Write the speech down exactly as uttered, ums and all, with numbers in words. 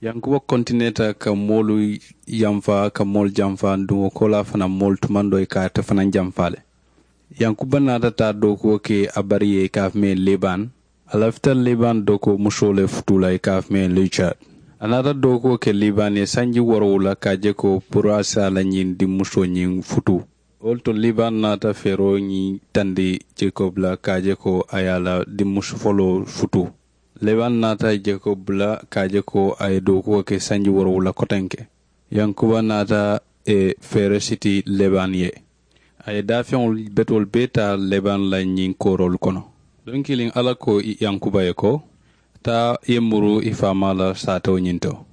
Yankuba kontineeta ka moolu yanfa ka moolu janfa nduŋo koolaa fanaŋ moolu tumandoo ye ka ate fanaŋ janfa le. Yankuba naata taa dookuwo ke a bari ye i ka a fo meŋ ye liban. A lafita liban dookuwo musoo le futuu la i ka a fo meŋ ye licaat. A naata dookuwo ke liban ye sanji woorowula ka a je ko puru a si a la ñiŋ dimmusoo ñiŋ futuu. Wo le to liban naata feeroo ñiŋ tandi jakob la ka a je ko a ye a la dimmusu foloo futuu. Leban naata jakob bula ka a je ko a ye dookuwo ke sanji woorowula kotenke. Yankuba naata e feere siti leban ye. A ye daafeŋolu betoolu bee taa leban la ñiŋ kooroolu kono. Duŋ kiliŋ alla ko yankuba ye ko, taa ye muru i faamaa la saatoo ñiŋ to.